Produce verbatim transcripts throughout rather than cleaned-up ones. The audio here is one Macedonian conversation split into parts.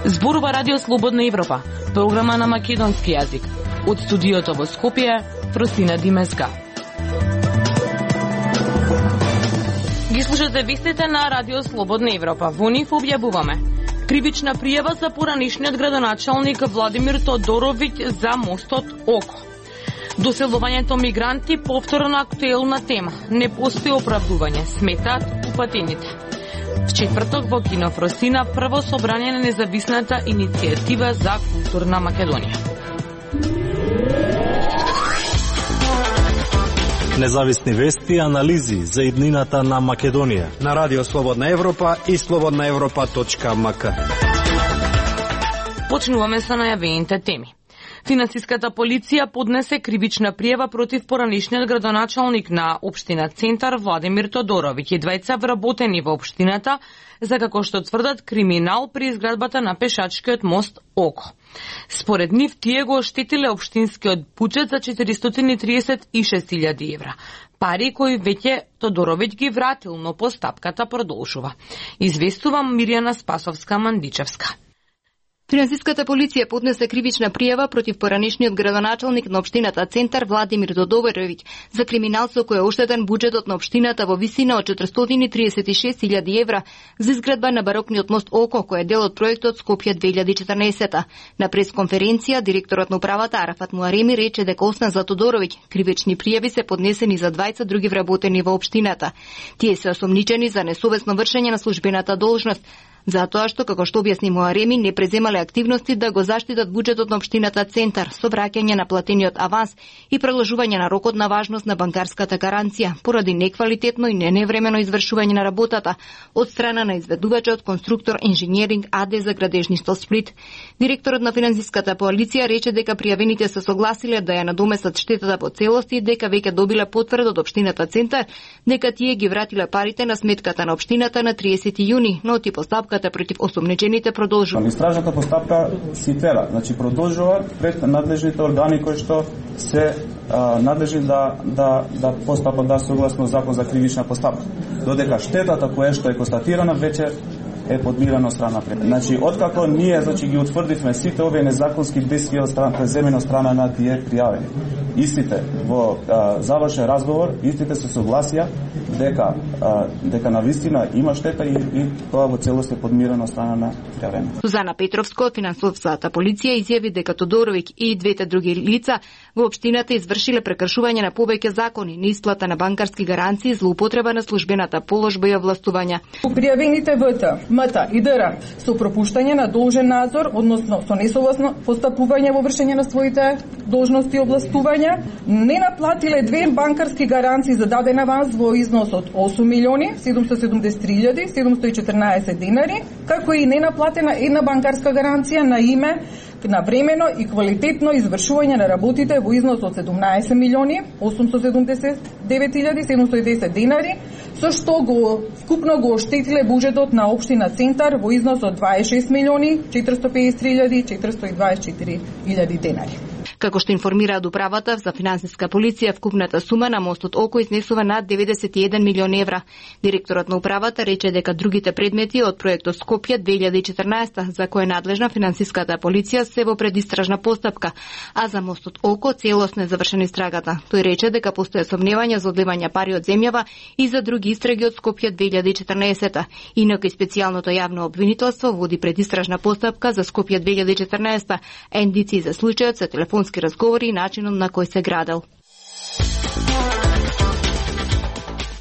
Зборува Радио Слободна Европа, програма на македонски јазик. Од студиото во Скопје, Фросина Димеска. Ги слушате вестите на Радио Слободна Европа. Во нив објавуваме кривична пријава за поранишниот градоначалник Владимир Тодоровиќ за мостот Око. Доселувањето мигранти повторно актуелна тема. Не постои оправдување, сметаат упатените. В четврток во кино Фросина прво собрание на независната иницијатива за културна Македонија. Независни вести и анализи за иднината на Македонија на Радио Слободна Европа и слободна европа точка ем ка. Почнуваме со најавените теми. Финансиската полиција поднесе кривична пријава против поранишниот градоначалник на општина Центар Владимир Тодоровиќ и двајца вработени во општината за, како што тврдат, криминал при изградбата на пешачкиот мост Око. Според нив, тие го оштетиле општинскиот буџет за четиристотини триесет и шест илјади евра. Пари кои веќе Тодоровиќ ги вратил, но постапката продолжува. Известува Мирјана Спасовска-Мандичевска. Финансиската полиција поднесе кривична пријава против поранишниот градоначалник на општината Центар Владимир Тодоровиќ за криминал со кој е оштетен буџетот на општината во висина од четиристотини триесет и шест илјади евра за изградба на барокниот мост Око, кој е дел од проектот Скопје две илјади и четрнаесета. На пресконференција директорот на управата Арафат Муареми рече дека освен за Тодоровиќ, кривични пријави се поднесени за двајца други вработени во општината. Тие се осомничени за несовесно вршење на службената должност, затоа што, како што објасни Муареми, не преземале активности да го заштитат буџетот на општината Центар со враќање на платениот аванс и продолжување на рокот на важност на банкарската гаранција поради неквалитетно и неневремено извршување на работата од страна на изведувачот Конструктор Инженеринг АД за градежништво Сплит. Директорот на финансиската полиција рече дека пријавените се согласиле да ја надоместат штетата по целост и дека веќе добиле потврда од општината Центар дека тие ги вратиле парите на сметката на општината на триесети јуни, но ти постапката против осомничените продолжува. Истражната постапка си тела, значи продолжува пред надлежните органи кои што се а, надлежни да да да постапат да согласно закон за кривична постапка. Додека штетата која што е констатирана веќе е подмирана од страна пред. Значи откако ние значи ги утврдивме сите овие незаконски действија од страна преземени од страна на тие пријавени. Истите во а, завршен разговор, истите се согласија дека а, дека навистина има штета и, и тоа во целост е подмирано од страна на пријавени. Сузана Петровска од финансовата полиција изјави дека Тодоровиќ и двете други лица во општината извршиле прекршување на повеќе закони, неисплата на банкарски гаранции, злоупотреба на службената положба и овластувања. Пријавените ВТ, МТ и ДР со пропуштање на должен надзор, односно со несогласно постапување во вршење на своите должности и овластувања, не наплатиле две банкарски гаранции за даден аванс во износ од осум милиони седумстотини и седумдесет и три илјади седумстотини и четрнаесет денари, како и не наплатена една банкарска гаранција на име на времено и квалитетно извршување на работите во износ од седумнаесет милиони осумстотини и седумдесет и девет илјади седумстотини и десет денари, со што го скупно го оштетиле буџетот на општина Центар во износ од дваесет и шест милиони четиристотини и педесет и три илјади четиристотини и дваесет и четири илјади денари. Како што информираат управата за финансиска полиција, вкупната сума на мостот Око изнесува над деветдесет и еден милион евра. Директорот на управата рече дека другите предмети од проектот Скопје две илјади и четрнаесета, за кој е надлежна финансиската полиција, се во предистражна постапка, а за мостот Око целосно е завршена истрагата. Тој рече дека постои сомневања за одливање пари од земјава и за други истраги од Скопје две илјади и четрнаесета. Инаку и специјалното јавно обвинителство води предистражна постапка за Скопје две илјади и четрнаесета, а индици за случајот се телефонски разговори и начинот на кој се градел.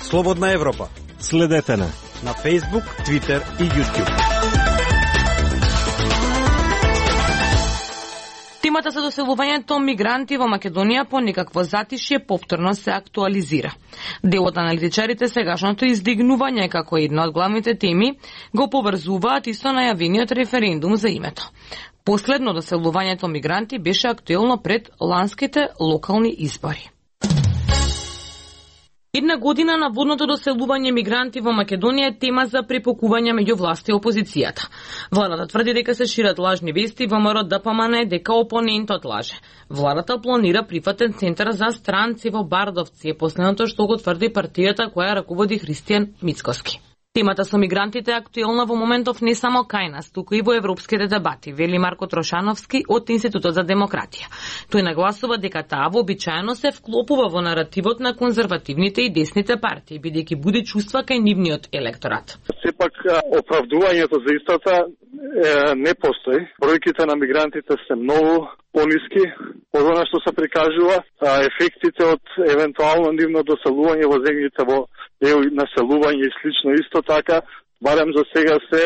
Слободна Европа. Следете на на Facebook, Twitter и YouTube. Темата за доселувањето мигранти во Македонија по некакво затишје повторно се актуализира. Дел од аналитичарите сегашното издигнување како една од главните теми го поврзуваат и со најавениот референдум за името. Последно доселувањето мигранти беше актуелно пред ланските локални избори. Една година на водното доселување мигранти во Македонија е тема за препокување меѓу власт и опозицијата. Владата тврди дека се шират лажни вести, ВМРО Д П М Н дека опонентот лаже. Владата планира прифатен центар за странци во Бардовци, е последното што го тврди партијата која раководи Христијан Мицкоски. Темата со мигрантите е актуелна во моментов не само кај нас, туку и во европските дебати, вели Марко Трошановски од Институтот за демократија. Тој нагласува дека таа вообичаено се вклопува во наративот на конзервативните и десните партии, бидејќи буди чувства кај нивниот електорат. Сепак оправдувањето за истата е, не постои. Бројките на мигрантите се многу пониски од она што се прикажува, а ефектите од евентуално нивно доселување во земјите во еу населување и слично исто така, барем за сега се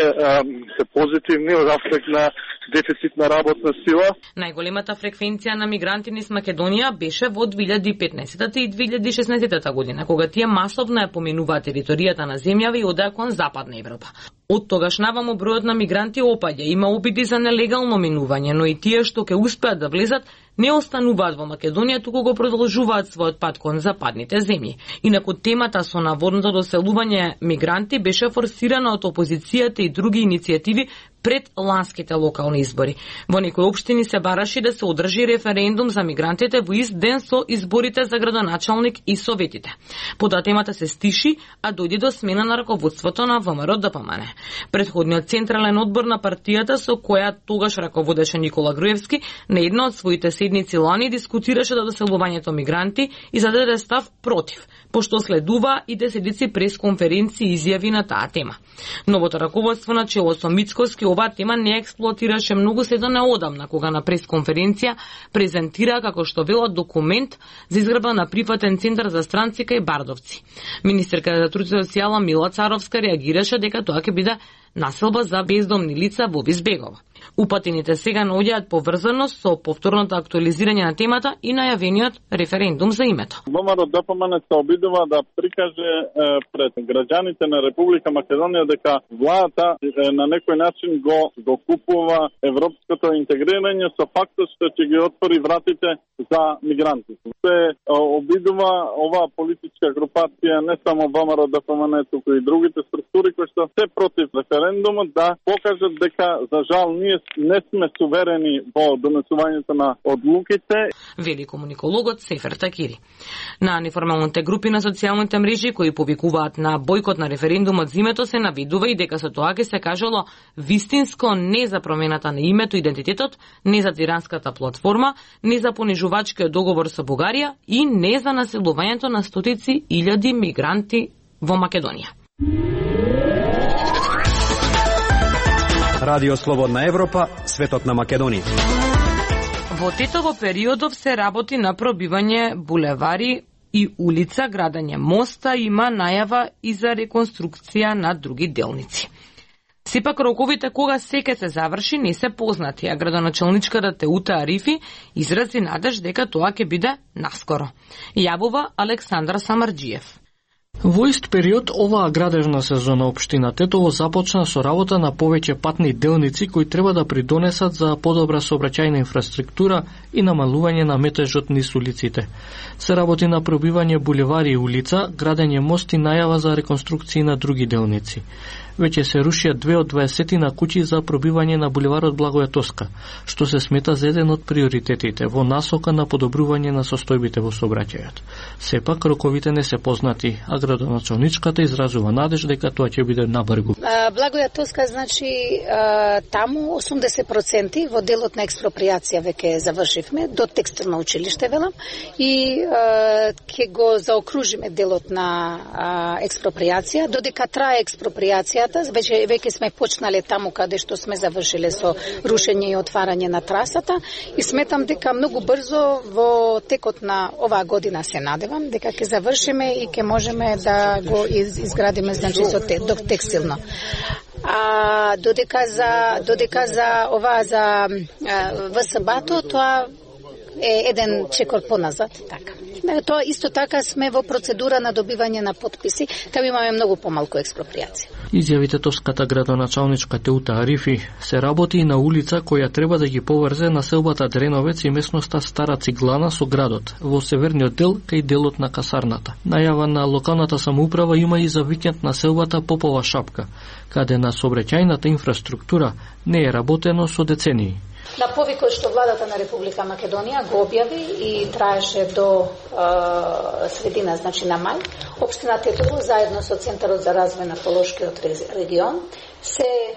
се позитивни од аспект на дефицит на работна сила. Најголемата фреквенција на мигранти низ Македонија беше во две илјади и петнаесетта и две илјади и шеснаесетта година, кога тие масовно ја поминуваат територијата на земјава и одеа кон Западна Европа. Од тогаш наваму бројот на мигранти опаѓа, има обиди за нелегално минување, но и тие што ќе успеат да влезат не остануваат во Македонија, туку го продолжуваат својот пат кон западните земји. Инаку темата со наводното доселување мигранти беше форсирана од опозицијата и други иницијативи пред ланските локални избори. Во некои општини се бараше да се одржи референдум за мигрантите во ист ден со изборите за градоначалник и советите. Потоа темата се стиши, а дојде до смена на раководството на ВМРО Д П М Н. Предходниот централен одбор на партијата, со која тогаш раководеше Никола Груевски, на една од своите седници лани дискутираше до доселувањето мигранти и зададе став против, пошто следува и десетици пресконференции и изјави на таа тема. Новото раководство на чело со Мицкоски оваа тема не експлоатираше многу се до неодамна, кога на пресконференција презентира како што велат документ за изградба на прифатен центар за странци кај Бардовци. Министерката за труд и социјала Мила Царовска реагираше дека тоа ќе биде населба за бездомни лица во Избегова. Упатените сега наоѓаат поврзаност со повторното актуализирање на темата и најавениот референдум за името. ВМРО Д П М Н се обидува да прикаже е, пред граѓаните на Република Македонија дека владата е, на некој начин го докупува европското интегрирање со фактот што ќе ги отвори вратите за мигрантите. Се обидува оваа политичка групација, не само ВМРО Д П М Н, туку и другите структури кои што се против референдумот, да покажат дека за жал ние не сме суверени во донесувањето на одлуките. Вели комуникологот Сефер Такири. На неформалните групи на социјалните мрежи кои повикуваат на бојкот на референдумот за името се навидува и дека со тоа ќе се кажало вистинско не за промената на името и идентитетот, не за тиранската платформа, не за понижувачкиот договор со Бугарија и не за населувањето на стотици илјади мигранти во Македонија. Радио Слободна Европа, светот на Македонија. Во тетово периодов се работи на пробивање булевари и улица, градење моста, има најава и за реконструкција на други делници. Сепак роковите кога се ќе се заврши не се познати, а градоначалничката Теута Арифи изрази надеж дека тоа ќе биде наскоро. Јавува Александар Самарџиев. Во ист период, оваа градежна сезона општина Тетово започна со работа на повеќе патни делници кои треба да придонесат за подобра сообраќајна инфраструктура и намалување на метежот низ улиците. Се работи на пробивање булевари и улица, градење мост и најава за реконструкции на други делници. Веќе се рушија две од дваесетина куќи за пробивање на булеварот Благоја Тоска, што се смета за еден од приоритетите во насока на подобрување на состојбите во сообраќајот. Сепак роковите не се познати, а градоначалничката изразува надеж дека тоа ќе биде набрзо. Благоја Тоска, значи таму осумдесет проценти во делот на експроприација веќе завршивме, до текстилно училиште велам, и ќе го заокружиме делот на експроприација, додека трае експроприација. Веќе, веќе сме почнале таму каде што сме завршиле со рушење и отварање на трасата и сметам дека многу брзо во текот на оваа година се надевам дека ќе завршиме и ќе можеме да го изградиме, значи со те, до текстилно. А додека за додека за ова за ВСБ-то, тоа е еден чекор поназад, така. Тоа исто така сме во процедура на добивање на потписи, таму имаме многу помалку експроприација. Изјавите товската градоначалничка Теута Арифи се работи и на улица која треба да ги поврзе населбата Дреновец и местноста Стара Циглана со градот, во северниот дел кај делот на касарната. Најава на локалната самоуправа има и за викенд населбата Попова Шапка, каде на сообраќајната инфраструктура не е работено со децении. На повикот што владата на Република Македонија го објави и траеше до е, средина, значи на мај, општина Тетово заедно со Центарот за развој на Полошкиот регион се е,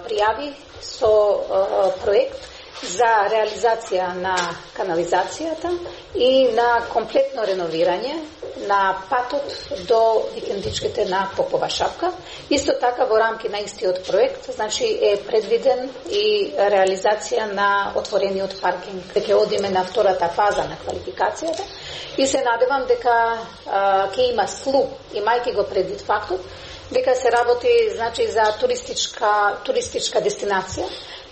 пријави со е, проект за реализација на канализацијата и на комплетно реновирање на патот до викендичките на Попова Шапка. Исто така во рамки на истиот проект, значи е предвиден и реализација на отворениот паркинг. Ќе одиме на втората фаза на квалификацијата и се надевам дека ќе има слух, имајќи го предвид фактот дека се работи, значи, за туристичка туристичка дестинација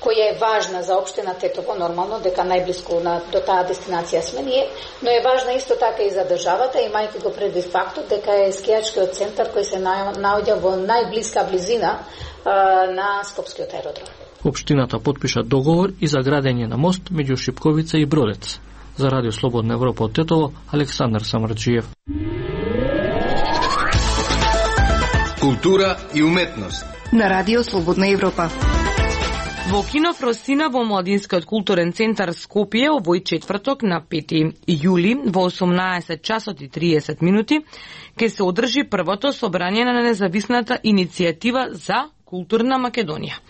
која е важна за општина Тетово, нормално дека најблиску на, до таа дестинација сме ние, но е важна исто така и за државата, имајќи го предвид фактот дека е скијачкиот центар кој се наоѓа во најблиска близина а, на Скопскиот аеродром. Општината потпиша договор и за градење на мост меѓу Шипковица и Бродец. За Радио Слободна Европа од Тетово, Александар Самарджиев. Култура и уметност на Радио Слободна Европа. Во кино Фросина во Младинскиот културен центар Скопје овој четврток на пети јули во осумнаесет часот и триесет минути ќе се одржи првото собрање на независната иницијатива за културна Македонија,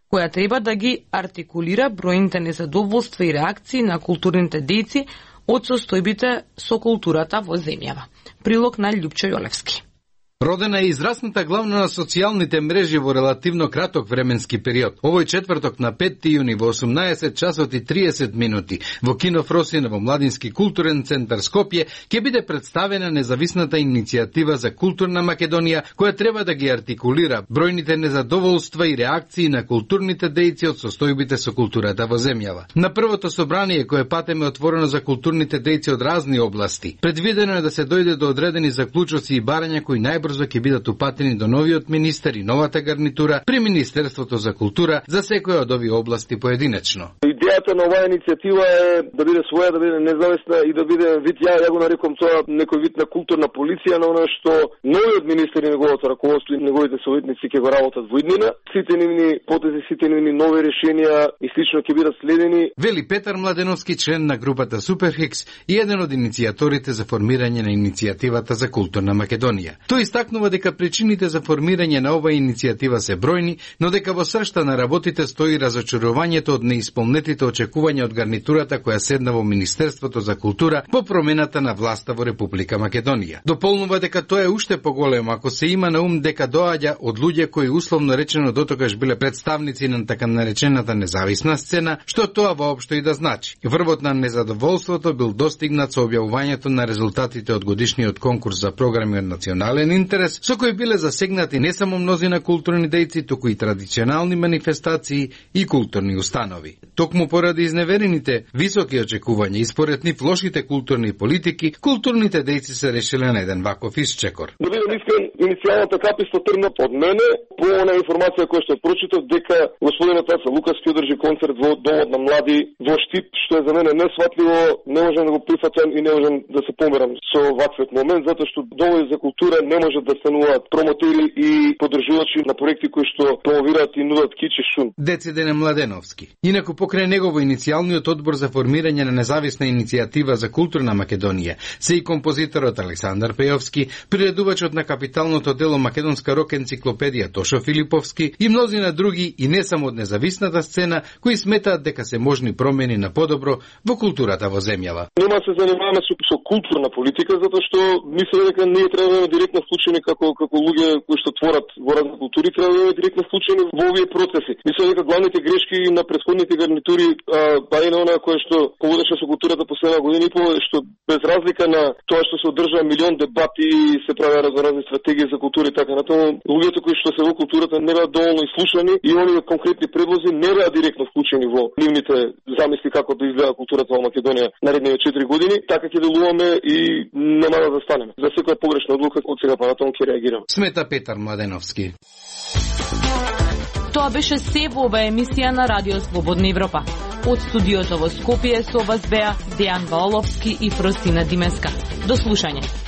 која треба да ги артикулира бројните незадоволства и реакции на културните дејци од состојбите со културата во земјава. Прилог на Љупчо Јолевски. Родена е израсната главно на социјалните мрежи во релативно краток временски период. Овој четврток на пети јуни во осумнаесет часот и триесет минути во кино Фросина во Младински културен центар Скопје ќе биде представена независната иницијатива за културна Македонија, која треба да ги артикулира бројните незадоволства и реакции на културните дејци од состојбите со културата во земјава. На првото собрание кое патеме отворено за културните дејци од разни области, предвидено е да се дојде до одредени заклучоци и барања кои најбрзо ќе бидат упатени до новиот министер и новата гарнитура при Министерството за култура за секоја од овие области поединечно. Идејата на оваа иницијатива е да биде своја, да биде независна и да биде вид, ја, ја го нарекам тоа некој вид на културна полиција, на она што новиот министер и неговото раководство и неговите советници ќе го работат во иднина. Сите нивни потези, сите нивни нови решенија и слично ќе бидат следени. Вели Петар Младеновски, член на групата Суперхикс и еден од иницијаторите за формирање на иницијативата за културна Македонија. Тој истакнува дека причините за формирање на оваа иницијатива се бројни, но дека во сршта на работите стои разочарувањето од неисполнетите очекувања од гарнитурата која седна во Министерството за култура по промената на власта во Република Македонија. Дополнува дека тоа е уште поголемо ако се има на ум дека доаѓа од луѓе кои условно речено дотогаш биле представници на така наречената независна сцена, што тоа воопшто и да значи. Врвот на незадоволството бил достигнат со објавувањето на резултатите од годишниот конкурс за програми од национален интерес, со кои биле засегнати не само мнозина културни дејци, туку и традиционални манифестации и културни установи. Токму поради изневерените високи очекувања и според нив лошите културни политики, културните дејци се решиле на еден ваков исчекор. Да бидам искрен, иницијалната каписта тргна од мене по она информација која што прочитав дека господинот Аца Лукаски одржи концерт во Домот на млади во Штип, што е за мене несватливо, не можам да го прифатам и не можам да се померам со ваквиот момент, затоа што домови за култура не можат да стануваат промотери и поддржувачи на проекти кои што промовираат и нудат кич и шум. Децидене Младеновски. Инаку покрај негово иницијалниот одбор за формирање на независна иницијатива за културна Македонија се и композиторот Александар Пејовски, приредувачот на капиталното дело Македонска рок енциклопедија Тошо Филиповски и мнозина други и не само од независната сцена кои сметаат дека се можни промени на подобро во културата во земјава. Нема се занимаваме со, со културна политика затоа што мислам дека ние треба да имаме директно вклучение вклучени како како луѓе кои што творат во разни култури, треба да бидат директно вклучени во овие процеси. Мислам дека главните грешки на претходните гарнитури, па и на она кое што поводеше со културата последна година и по, што без разлика на тоа што се одржа милион дебати и се прави разноразни стратегии за култура и така натаму, луѓето кои што се во културата не беа доволно слушани и оние конкретни предлози не беа директно вклучени во нивните замисли како да изгледа културата во Македонија наредните четири години. Така ќе делуваме и нема да застанеме. За секоја погрешна одлука од сега па натаму ќе реагираме. Смета Петар Младеновски. Тоа беше се во оваа емисија на Радио Слободна Европа. Од студиото во Скопје со вас беа Дејан Ваоловски и Фросина Димеска. До слушање.